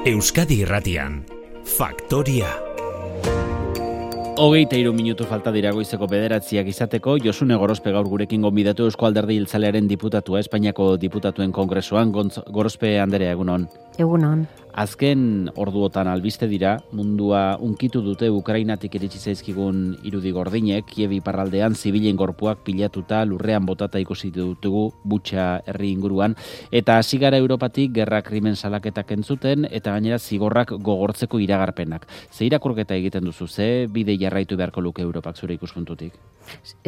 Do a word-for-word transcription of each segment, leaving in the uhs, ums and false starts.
Euskadi Irratian, Faktoria. Hogeita hiru minutu falta dira goizeko bederatziak izateko. Josune Gorospe gaur gurekin gonbidatu Eusko Alderdi Jeltzalearen diputatua, Espainiako Diputatuen Kongresuan. Gorospe Anderea, egunon. Egunon. Azken orduotan albiste dira, mundua unkitu dute Ukrainatik iritsi zaizkigun irudi gordinek, Kiev iparraldean zibilen gorpuak pilatuta lurrean botata ikusi dutugu Butxa herri inguruan, eta hasi gara Europatik gerra krimen salaketak entzuten, eta gainera zigorrak gogortzeko iragarpenak. Ze irakurketa egiten duzu, ze bide jarraitu beharko luke Europak zure ikuspuntutik?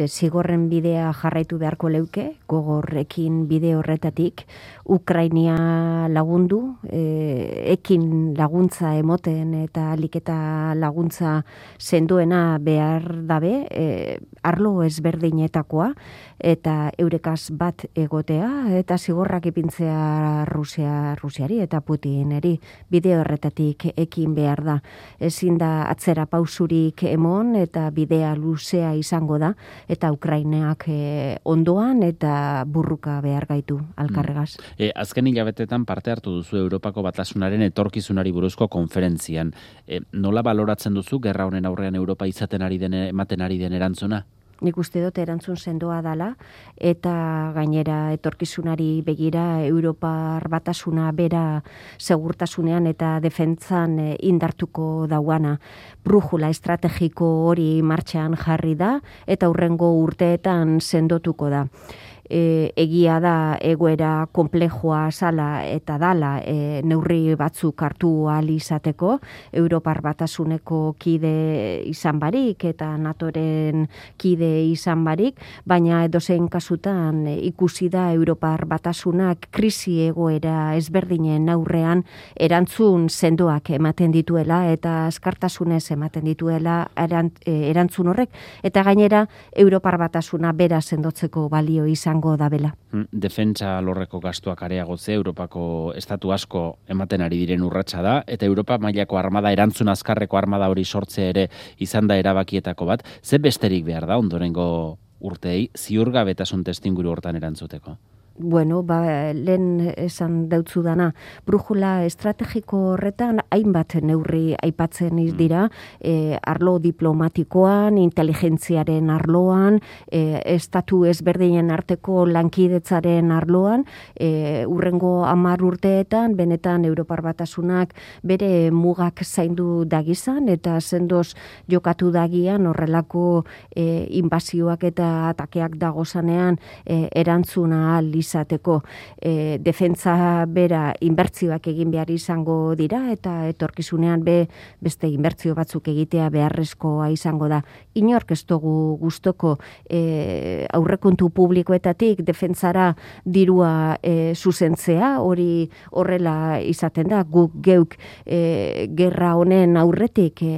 Zigorren bidea jarraitu beharko leuke, gogorrekin bide horretatik, Ukrainia lagundu, e, ekin laguntza emoten eta aliketa laguntza sendoena behar dabe, e, arlo ezberdinetakoa, eta eurekaz bat egotea, eta zigorrak ipintzea Rusia, Rusiari eta Putineri bide horretatik ekin behar da. Ezin da atzera pausurik emon eta bidea luzea izango da, eta Ukraineak e, ondoan eta burruka behar gaitu alkarregaz. Mm. E, azken hilabetetan parte hartu duzu Europako Batasunaren etorkizunari buruzko konferentzian. E, nola baloratzen duzu gerra honen aurrean Europa izaten ari den, ematen ari den erantzuna? Nik uste dut erantzun sendoa dala, eta gainera etorkizunari begira Europar Batasuna bera segurtasunean eta defentzan indartuko dauana. Brujula estrategiko hori martxan jarri da, eta hurrengo urteetan sendotuko da. E, egia da egoera konplejua sala eta dala e, neurri batzuk hartu ahal izateko, Europar Batasuneko kide izan barik eta NATOren kide izan barik, baina edozein kasutan e, ikusi da Europar Batasunak krisi egoera ezberdinen aurrean erantzun sendoak ematen dituela eta askartasunez ematen dituela erant, e, erantzun horrek, eta gainera Europar Batasuna bera sendotzeko balio izan da bela. Defentsa lorreko gastuak areagotze Europako estatu asko ematen ari diren urratsa da, eta Europa mailako armada, erantzun azkarreko armada hori sortzea ere izan da erabakietako bat. Ze besterik behar da ondorengo urteei ziurgabetasun testuinguru hortan erantzuteko? Bueno, ba, lehen esan deutzu dana, brujula estrategiko horretan hainbat neurri aipatzen dira, e, arlo diplomatikoan, inteligentziaren arloan, e, estatu ezberdinen arteko lankidetzaren arloan, e, urrengo hamar urteetan, benetan Europar Batasunak bere mugak zaindu dagizan, eta sendoz jokatu dagian horrelako e, inbazioak eta atakeak dagozanean e, erantzuna ahal izateko. E, defentza bera inbertzioak egin behar izango dira, eta etorkizunean be beste inbertzio batzuk egitea beharrezkoa izango da. Inork ez dugu gustoko e, aurrekontu publikoetatik defentzara dirua e, zuzentzea, hori horrela izaten da, guk geuk e, gerra honen aurretik e,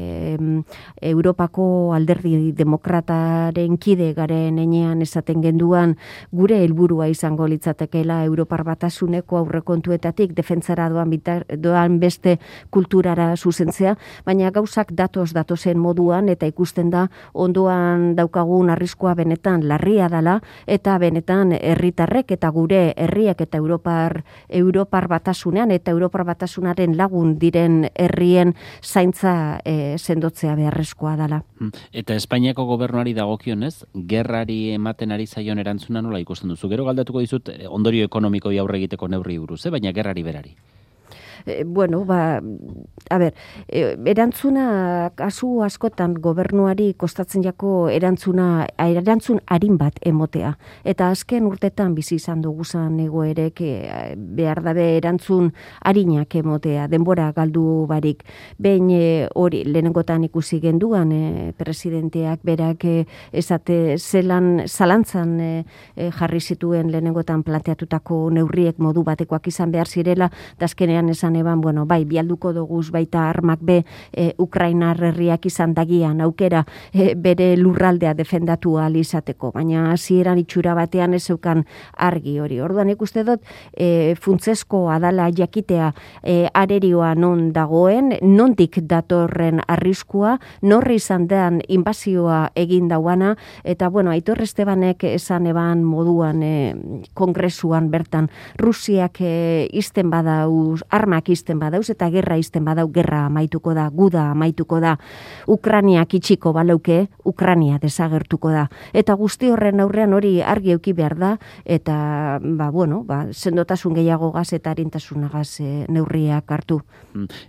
Europako Alderdi Demokrataren kide garen enean esaten genduan gure helburua izango litzatekeela Europar Batasuneko aurrekontuetatik defentzara doan, bitar, doan beste kulturara zuzentzea, baina gauzak datoz datozen moduan, eta ikusten da ondoan daukagun arriskua benetan larria dela, eta benetan herritarrek eta gure herriak eta Europar, Europar Batasunean eta Europar Batasunaren lagun diren herrien zaintza e, sendotzea beharrezkoa dela. Eta Espainiako gobernuari dagokionez, gerrari ematen ari zaion erantzuna nola ikusten duzu? Gero galdatuko dizut ondorio ekonomikoi aurre egiteko neurri buruz, eh? Baina gerrari berari. E, bueno, ba, a ber, e, erantzuna kasu askotan gobernuari kostatzen jako erantzuna, erantzun arin bat emotea. Eta azken urtetan bizi izan duguzan egoerek e, behar dabe erantzun arinak emotea, denbora galdu barik. Behin hori e, lehenengotan ikusi genduan e, presidenteak berak e, esate zelan zalantzan e, e, jarri zituen lehenengotan planteatutako neurriek modu batekoak izan behar zirela, da azkenean esan esan eban, bueno, bai, bialduko doguz baita armak be e, Ukrainar herriak izan dagian aukera e, bere lurraldea defendatu ahal izateko, baina hasieran itxura batean ez zeukan argi hori. Orduan ikuste dut e, funtzesko adala jakitea e, arerioa non dagoen, nondik datorren arriskua, norri izan den inbazioa egin dauana, eta bueno, Aitor Estebanek esan eban moduan e, kongresuan bertan, Rusiak e, izten badauz, armak izten badauz, eta gerra izten badau, gerra amaituko da, guda amaituko da, Ukraniak itxiko balauke, Ukrania desagertuko da. Eta guzti horren aurrean hori argi euki behar da, eta, ba, bueno, ba, sendotasun gehiago gaz eta arintasunagaz e, neurriak hartu.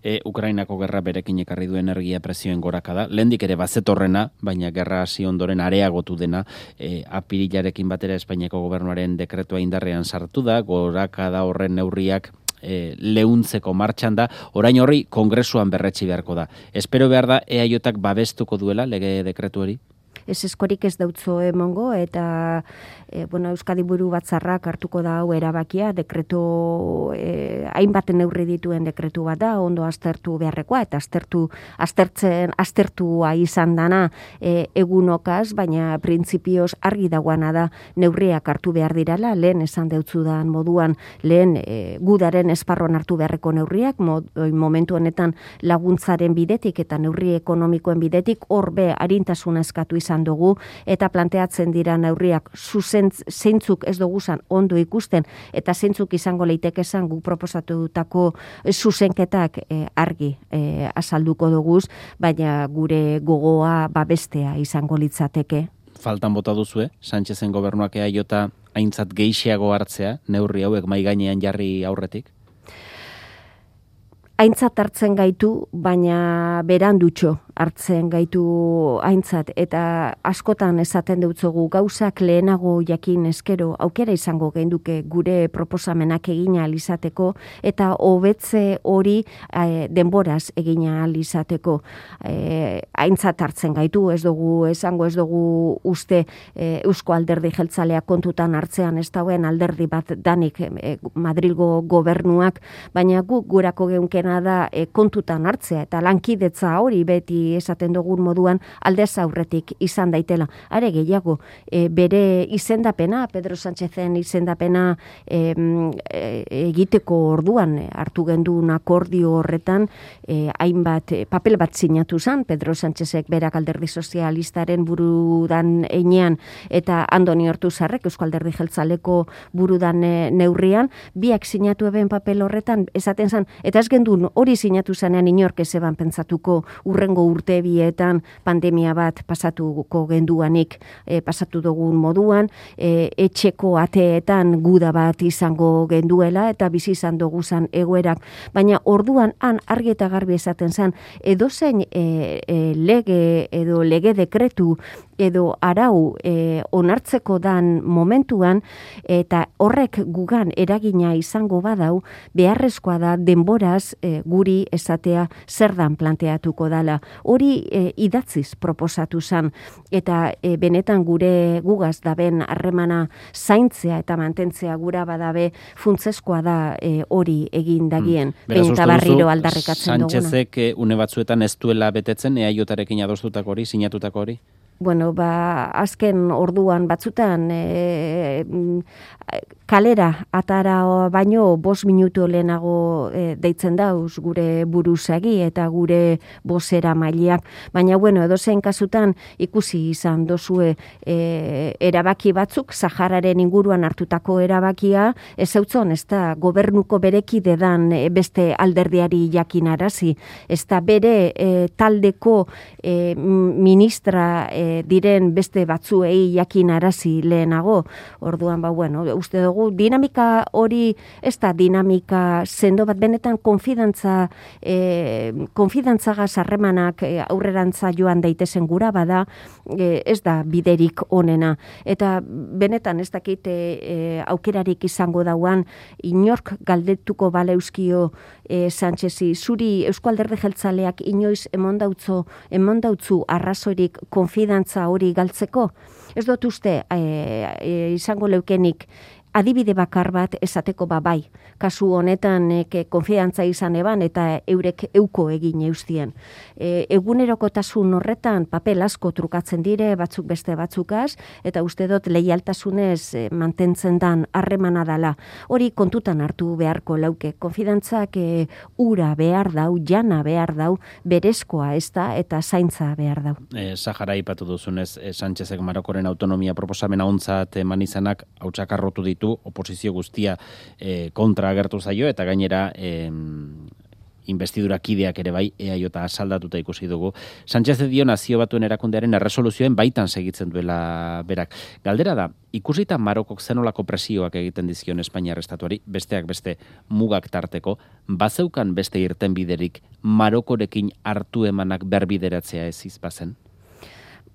E, Ukrainako gerra berekin ekarri du energia prezioen gorakada, lehendik ere bazetorrena, baina gerra hasi ondoren areagotu dena, e, apirilarekin batera Espainiako gobernuaren dekretua indarrean sartu da, gorakada horren neurriak e, leuntzeko martxan da, orain horri kongresuan berretsi beharko da. Espero behar da E A Jak babestuko duela lege dekretu hori? Ez eskorik ez dautzo emongo, eta e, bueno, Euskadi Buru Batzarrak hartuko da hau erabakia, dekretu, e, hainbat neurri dituen dekretu bat da, ondo aztertu beharrekoa, eta aztertu, aztertzen, aztertua izan dana e, egunokaz, baina printzipioz argi dagoana da neurriak hartu behar dirala, lehen esan deutzudan moduan, lehen e, gudaren esparron hartu beharreko neurriak, mod, momentu honetan laguntzaren bidetik eta neurri ekonomikoen bidetik, horbe arintasuna eskatu izan dugu, eta planteatzen dira neurriak zuzentz, zeintzuk ez duguzan ondo ikusten, eta zeintzuk izango leitekezan guk proposatutako zuzenketak e, argi e, azalduko duguz, baina gure gogoa babestea izango litzateke. Faltan bota duzu, eh? Sánchezen gobernuak E A J aintzat gehiago hartzea, neurri hauek mai gainean jarri aurretik? Aintzat hartzen gaitu, baina berandutxo hartzen gaitu aintzat, eta askotan esaten dutzugu gauzak lehenago jakin eskero aukera izango genduke gure proposamenak egina alizateko, eta hobetze hori e, denboraz egina alizateko. E, aintzat hartzen gaitu, ez dugu esango, ez dugu uste e, Eusko Alderdi Jeltzalea kontutan hartzean ez dauen alderdi bat danik e, Madrilgo gobernuak, baina guk gurako geunkena da e, kontutan hartzea, eta lankidetza hori beti esaten dugun moduan aldez aurretik izan daitela. Are gehiago, e, bere izendapena, Pedro Sánchezen izendapena e, e, egiteko orduan e, hartu gendun akordio horretan, e, hainbat e, papel bat sinatu zen, Pedro Sánchezek berak Alderdi Sozialistaren burudan einean, eta Andoni Ortuzarrek Eusko Alderdi Jeltzaleko burudan e, neurrian, biak sinatu eben papel horretan, esaten zen, eta ez gendun hori sinatu zanean inork ezeban pentsatuko urrengo urte bietan pandemia bat pasatuko genduanik e, pasatu dugun moduan, e, etxeko ateetan guda bat izango genduela eta bizi izan duguzan egoerak, baina orduan han argi eta garbi esaten zen, edozein e, e, lege edo lege dekretu edo arau e, onartzeko dan momentuan, eta horrek gugan eragina izango badau, beharrezkoa da denboraz e, guri esatea zer dan planteatuko dala. Hori e, idatziz proposatu zen, eta e, benetan gure gugaz daben harremana zaintzea eta mantentzea gura badabe funtsezkoa da e, hori egin dagien. Hmm. Beraz, eta barriro aldarrikatzen duguna. Sánchezek une batzuetan ez duela betetzen E A Jarekin adostutako hori, sinatutako hori? Bueno, ba, azken orduan batzutan e, kalera atara baino bost minutu lehenago e, deitzen dauz gure buruzagi eta gure bozera mailiak. Baina, bueno, edozein kasutan ikusi izan dozue e, erabaki batzuk, Sahararen inguruan hartutako erabakia, ez zautzon, ez da gobernuko berekide dan e, beste alderdiari jakinarazi, ez da bere e, taldeko e, ministra e, diren beste batzuei jakinarazi lehenago. Orduan, ba, bueno, uste dugu, dinamika hori, ez da dinamika sendo bat, benetan konfidantza, e, konfidantzagaz harremanak e, aurrerantza joan daitezen gura bada, e, ez da biderik onena. Eta benetan ez dakit e, e, aukerarik izango dauan, inork galdetuko baleuskio e, Sánchezi, zuri Eusko Alderdi Jeltzaleak inoiz emondautzu, emondautzu arrazorik konfidantza hori galtzeko? Ez dut uste e, e, izango leukenik adibide bakar bat esateko ba bai. Kasu honetan e, konfiantza izan eban eta eurek euko egin eustien. E, egunerokotasun horretan papel asko trukatzen dire, batzuk beste batzukaz, eta uste dut leialtasunez e, mantentzen dan harremana dala. Hori kontutan hartu beharko lauke. Konfidantzak e, ura behar dau, jana behar dau, berezkoa ez da, eta zaintza behar dau. E, Sahara ipatu duzunez, e, Sánchezek Marokoren autonomia proposamena ontzat eman izanak hautsakarrotu ditu, oposizio guztia e, kontra agertu zaio, eta gainera e, investidura kideak ere bai, E A J asaldatuta ikusi dugu. Sánchez dio Nazio Batuen erakundearen erresoluzioen baitan segitzen duela berak. Galdera da, ikusita Marokok zenolako presioak egiten dizkion Espainiar estatuari, besteak beste mugak tarteko, bazeukan beste irtenbiderik Marokorekin hartu emanak berbideratzea ez izbazen?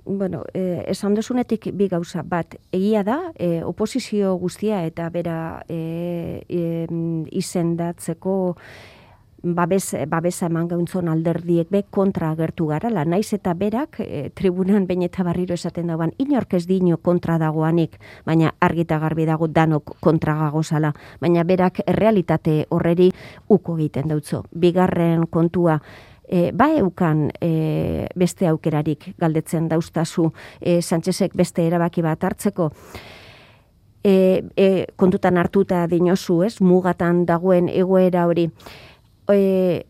Bueno, eh, esan dozunetik bi gauza bat, egia da, eh, oposizio guztia eta bera eh, eh, izendatzeko babes, babesa eman gauntzon alderdiek be kontra agertu garala, naiz eta berak e, tribunan behin eta barriro esaten dagoan, inork ez dino kontra dagoanik, baina argita garbi dago danok kontra gagozala, baina berak errealitate horreri uko egiten dautzo. Bigarren kontua, E, ba eukan e, beste aukerarik galdetzen dauztazu e, Sánchezek beste erabaki bat hartzeko. E, e, kontutan hartuta dinozu, ez, mugatan dagoen egoera hori. E,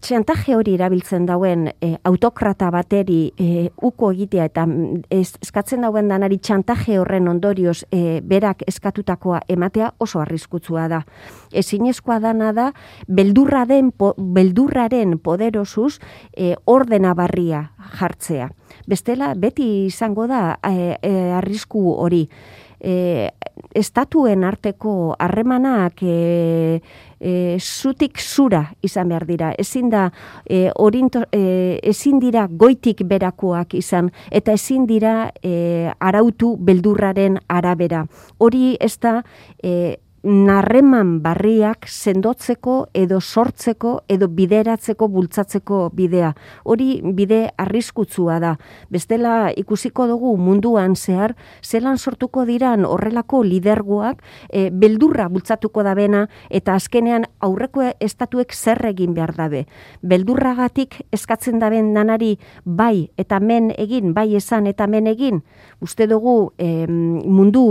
txantaje hori erabiltzen dauen e, autokrata bateri e, uko egitea eta ez, eskatzen dauen danari txantaje horren ondorioz e, berak eskatutakoa ematea oso arriskutsua da. Ezinezkoa dana da beldurra den, po, beldurraren poderosuz e, ordena barria jartzea. Bestela beti izango da e, e, arrisku hori. E, estatuen arteko harremanak e, e, zutik zura izan behar dira. Ezin da e, orinto, e, ezin dira goitik berakoak izan eta ezin dira e, arautu beldurraren arabera. Hori ez da e, narreman barriak sendotzeko edo sortzeko edo bideratzeko bultzatzeko bidea. Hori bide arriskutsua da. Bestela ikusiko dugu munduan zehar, zelan sortuko diran horrelako lidergoak e, beldurra bultzatuko dabena eta azkenean aurreko estatuek zer egin behar dabe. Beldurragatik eskatzen daben nanari bai eta men egin, bai esan eta men egin. Uste dugu e, mundu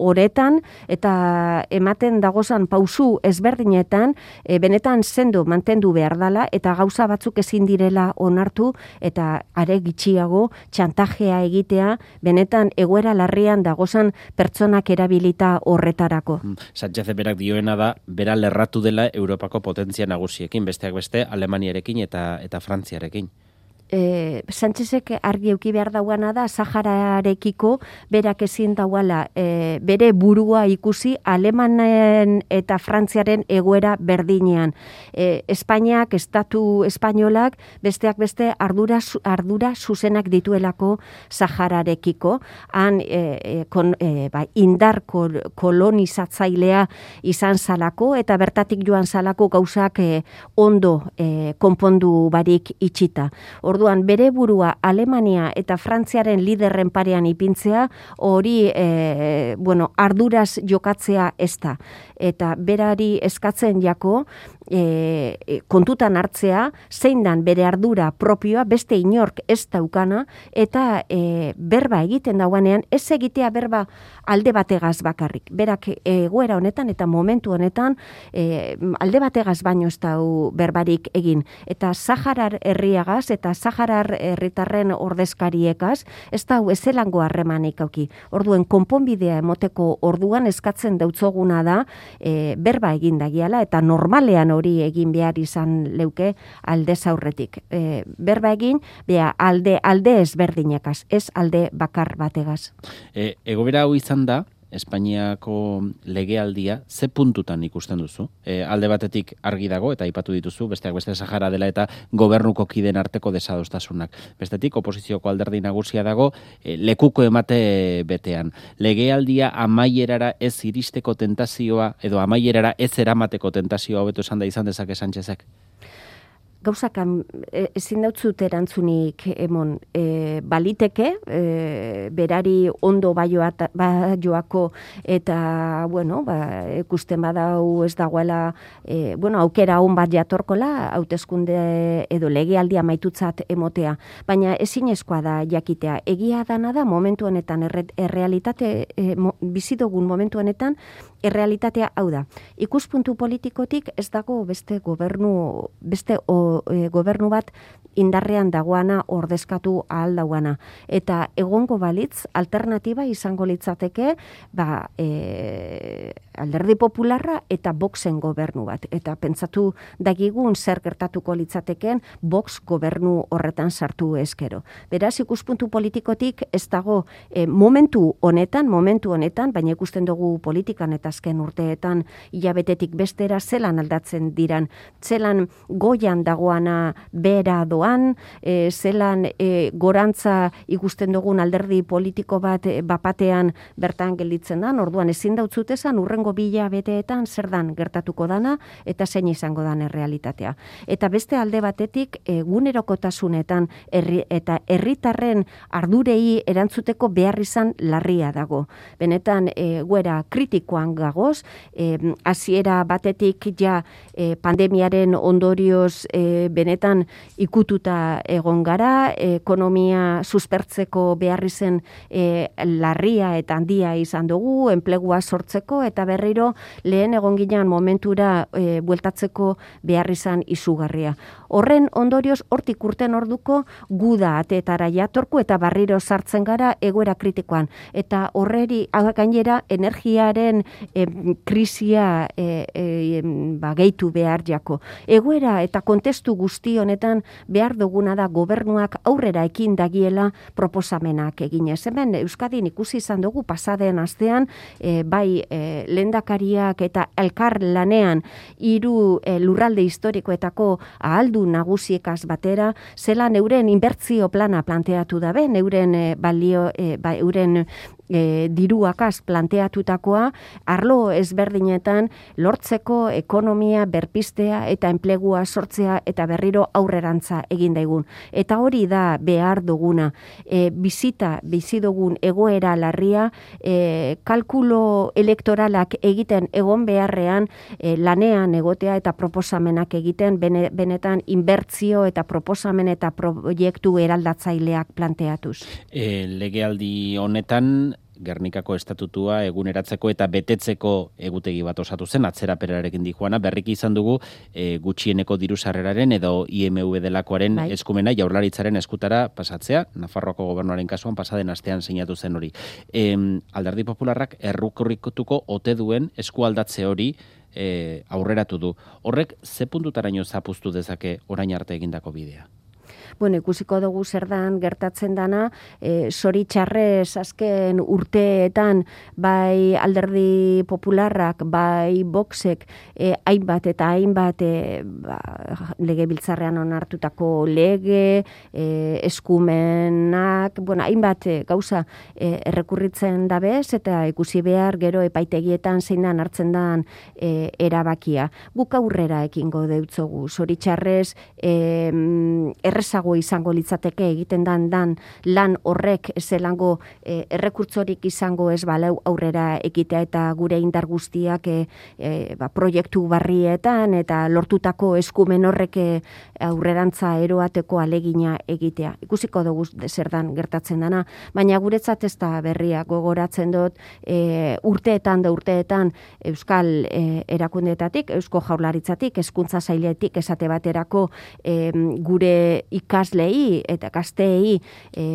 horetan eta ematen dagozan pausu ezberdinetan e, benetan sendo mantendu behar dala eta gauza batzuk ezin direla onartu eta are gitxiago txantajea egitea benetan egoera larrian dagozan pertsonak erabilita horretarako. Sánchez berak dioena da, bera lerratu dela Europako potentzia nagusiekin, besteak beste Alemaniarekin eta eta Frantziarekin. E, Sánchezek argi euki behar dauana da Sahararekiko berak ezin dauala e, bere burua ikusi Alemanen eta Frantziaren egoera berdinean. E, Espainiak, estatu espainolak besteak beste ardura, ardura zuzenak dituelako Sahararekiko. Han e, kon, e, ba, indar kol, kolonizatzailea izan zalako eta bertatik joan zalako gauzak e, ondo e, konpondu barik itxita. Orduan, bere burua Alemania eta Frantziaren liderren parean ipintzea, hori e, bueno, arduraz jokatzea ez da. Eta berari eskatzen jako, e, kontutan hartzea, zein dan bere ardura propioa, beste inork ez daukana, eta e, berba egiten dauanean, ez egitea berba alde bategaz bakarrik. Berak egoera honetan eta momentu honetan, e, alde bategaz baino ez dau berbarik egin. Eta Saharar herriagaz eta Saharar herritarren ordezkariekaz, ez da ezelango harremanik auki. Orduen, konponbidea emoteko orduan eskatzen dautzoguna da, e, berba egin dagiala, eta normalean hori egin behar izan leuke alde zaurretik. E, berba egin, bea, alde, alde ezberdinekaz, ez alde bakar bategaz. E, egobera hau izan da, Espainiako legealdia ze puntutan ikusten duzu? E, alde batetik argi dago eta aipatu dituzu, besteak beste Sahara dela eta gobernuko kideen arteko desadostasunak. Bestetik oposizioko alderdi nagusia dago e, lekuko emate betean. Legealdia amaierara ez iristeko tentazioa edo amaierara ez eramateko tentazioa hobeto esan da izan dezake Sánchezek? gauzak ezin dautzut erantzunik emon, e, baliteke, e, berari ondo baioat, baioako eta, bueno, ba, ikusten badau ez dagoela, e, bueno, aukera hon bat jatorkola, hauteskunde edo legealdia maitutzat emotea, baina ezinezkoa da jakitea. Egia dana da momentu honetan, erre, errealitate, e, mo, bizidogun momentu honetan, errealitatea hau da. Ikuspuntu politikotik ez dago beste gobernu, beste o, e, gobernu bat indarrean dagoana ordezkatu ahal dauana. Eta egongo balitz, alternatiba izango litzateke, ba, e, Alderdi Popularra eta Voxen gobernu bat. Eta pentsatu dagigun zer gertatuko litzateken Vox gobernu horretan sartu eskero. Beraz, ikuspuntu politikotik ez dago e, momentu honetan, momentu honetan, baina ikusten dugu politikan eta azken urteetan hilabetetik bestera zelan aldatzen diran, zelan goian dagoana bera doan, e, zelan e, gorantza ikusten dugun alderdi politiko bat e, bapatean bertan gelditzen dan, orduan ezin dautzutezan urrengo bila beteetan zer dan gertatuko dana eta zein izango dan errealitatea. Eta beste alde batetik egunerokotasunetan herri, eta herritarren ardurei erantzuteko behar izan larria dago. Benetan e, guera kritikoan gagoz, e, hasiera batetik ja e, pandemiaren ondorioz e, benetan ikututa egon gara, ekonomia suspertzeko behar izen e, larria eta handia izan dugu, enplegua sortzeko eta berriro lehen egon ginean momentura e, bueltatzeko behar izan izugarria. Horren ondorioz hortik urten orduko guda ateetara jatorku eta barriro sartzen gara egoera kritikoan. Eta horreri gainera energiaren e, krisia e, e, ba, gehitu behar jako. Egoera eta kontestu guzti honetan behar duguna da gobernuak aurrera ekin dagiela proposamenak eginez. Hemen Euskadin ikusi izan dugu pasaden astean, e, bai e, lehendakariak eta elkar lanean hiru e, lurralde historikoetako ahaldu nagusiekaz batera, zelan euren inbertzio plana planteatu dabe, euren e, balio, e, ba, euren E, diruakaz planteatutakoa, arlo ezberdinetan lortzeko ekonomia berpistea eta enplegua sortzea eta berriro aurrerantza egin daigun. Eta hori da behar duguna. E, bizita, bizi dugun egoera larria, e, kalkulo elektoralak egiten egon beharrean, e, lanean egotea eta proposamenak egiten, bene, benetan inbertzio eta proposamen eta proiektu eraldatzaileak planteatuz. E, legealdi honetan, Gernikako estatutua eguneratzeko eta betetzeko egutegi bat osatu zen, atzeraperarekin dijoana, berriki izan dugu e, gutxieneko diru sarreraren edo I M V delakoaren bai. Eskumena Jaurlaritzaren eskutara pasatzea, Nafarroako gobernuaren kasuan pasaden astean sinatu zen hori. E, Alderdi Popularrak errukorrikotuko ote duen eskualdatze hori e, aurreratu du. Horrek ze puntutaraino zapuztu dezake orain arte egindako bidea? Bueno, ikusiko dugu zer dan gertatzen dana, e, zoritxarrez azken urteetan bai Alderdi Popularrak, bai Voxek, e, hainbat eta hainbat e, ba, legebiltzarrean onartutako lege, e, eskumenak, bueno, hainbat e, gauza e, errekurritzen dabez eta ikusi behar gero epaitegietan zein dan hartzen dan e, erabakia. Guk aurrera ekingo deutzogu, zoritxarrez e, errezago izango litzateke egiten dan dan lan horrek zelango e, errekurtzorik izango ez balau aurrera ekitea eta gure indar guztiak e, e, ba, proiektu barrietan eta lortutako eskumen horrek e, aurrerantza eroateko alegina egitea. Ikusiko dugu zer dan gertatzen dana, baina guretzat ez da berria gogoratzen dut e, urteetan da urteetan Euskal e, erakundeetatik, Eusko Jaurlaritzatik, Hezkuntza Sailetik esate baterako e, gure ikaslei eta gazteei e,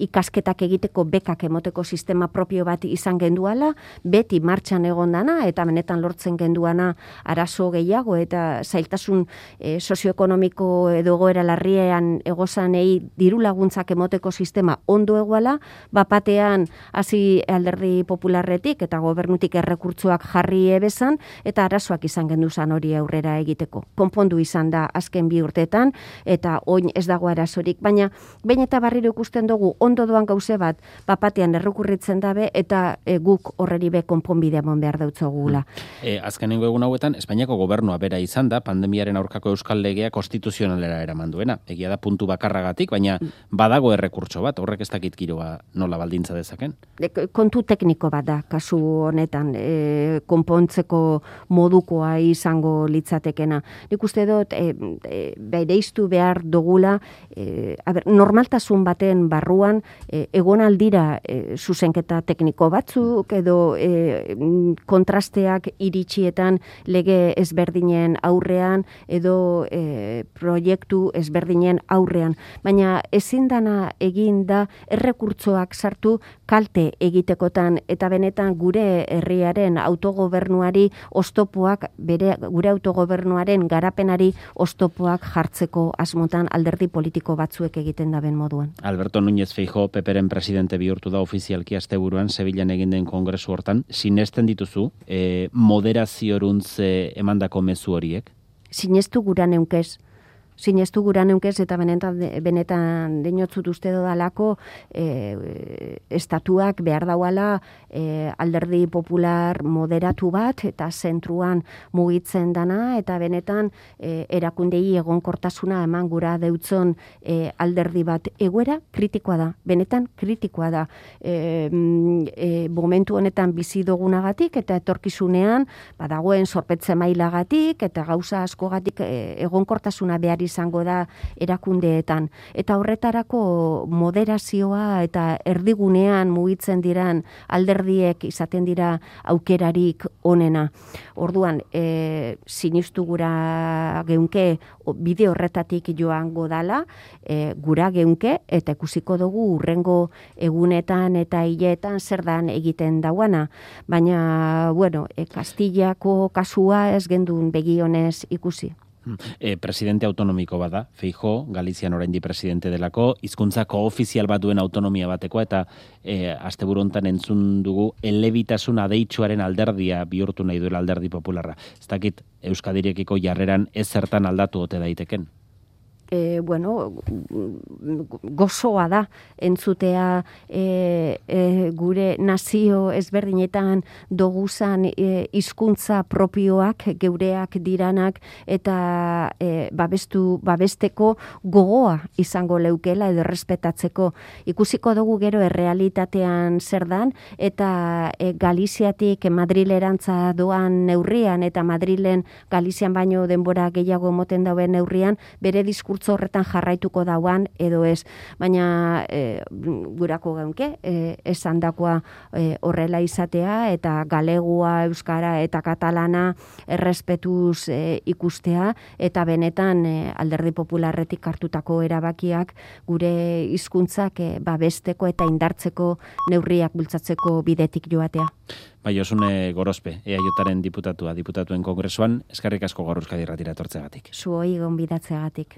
ikasketak egiteko bekak emoteko sistema propio bat izan genduala, beti martxan egon dana eta benetan lortzen genduana arazo gehiago eta zailtasun e, sozioekonomiko edo egoera larriean egozanei diru laguntzak emoteko sistema ondo eguala, bapatean hasi Alderdi Popularretik eta gobernutik errekurtzoak jarri ebezan eta arazoak izan genduzan hori aurrera egiteko. Konpondu izan da azken bi urteetan eta oin ez dago arazorik, baina behin eta barriro ikusten dugu ondo doan gauze bat, bapatean errekurritzen dabe, eta e, guk horreri be konponbidea mon behar dautzogula. E, azkenengo egun hauetan, Espainiako gobernua bera izan da, pandemiaren aurkako euskal legea konstituzionalera eraman duena. Egia da puntu bakarragatik, baina badago errekurtso bat, horrek ez dakit giroa nola baldintza dezaken? Kontu tekniko bat da, kasu honetan, e, konpontzeko modukoa izango litzatekena. Nik uste dut, e, e, bereiztu behar dugula, e, a ber, normaltasun baten barruan, e, egon aldira e, zuzenketa tekniko batzuk, edo e, kontrasteak iritsietan lege ezberdinen aurrean, edo e, proiektu ezberdinen aurrean. Baina ezin dana egin da errekurtsoak sartu kalte egitekotan, eta benetan gure herriaren autogobernuari oztopoak, bere, gure autogobernuaren garapenari oztopoak jartzeko asmotan alderdi politiko batzuek egiten daben moduan. Alberto Núñez Feijóo Peperen presidente bihurtu da ofizialki asteburuan Sevillan egin den kongresu hortan. Sinesten dituzu e, moderazioruntz emandako mezu horiek? Sinestu gura neunkez. Sinestu gura neunkez, eta benetan, benetan deinotzut uste dodalako e, estatuak behar dauala e, alderdi popular moderatu bat, eta zentruan mugitzen dana, eta benetan e, erakundei egonkortasuna eman gura deutzon e, alderdi bat. Egoera kritikoa da, benetan kritikoa da. E, e, momentu honetan bizi dugunagatik, eta etorkizunean badagoen zorpetze mailagatik, eta gauza askogatik e, egonkortasuna behar izango da erakundeetan. Eta horretarako moderazioa eta erdigunean mugitzen diran alderdiek izaten dira aukerarik onena. Orduan, e, sinistu gura geunke bide horretatik joango dala, e, gura geunke, eta ikusiko dugu urrengo egunetan eta hileetan zer dan egiten dauana. Baina, bueno, e, Kastillako kasua ez gendun begionez ikusi. E, presidente autonomiko bada, Feijóo, Galizian oraindi presidente delako, hizkuntzako ofizial bat duen autonomia bateko, eta e, asteburu hontan entzun dugu elebitasun adeitsuaren alderdia bihurtu nahi duela alderdi popularra. Ez dakit Euskadirekiko jarreran ez zertan aldatu ote daiteken? E, bueno, gozoa da entzutea e, e, gure nazio ezberdinetan doguzan hizkuntza e, propioak, geureak diranak, eta e, babestu, babesteko gogoa izango leukela edo respetatzeko. Ikusiko dugu gero errealitatean zer dan, eta e, Galiziatik Madrilerantza doan neurrian, eta Madrilen Galizian baino denbora gehiago moten dauen neurrian, bere diskurtso horretan jarraituko dauan edo ez, baina e, gurako geunke, e, esan dakoa e, horrela izatea, eta galegua, euskara eta katalana errespetuz e, ikustea, eta benetan e, alderdi popularretik hartutako erabakiak gure hizkuntzak e, babesteko eta indartzeko neurriak bultzatzeko bidetik joatea. Bai, Josune Gorospe, E A Jaren diputatua, diputatuen kongresuan, eskerrik asko Gaur Euskadi Irratira etortzeagatik. Zuoi gonbidatzeagatik.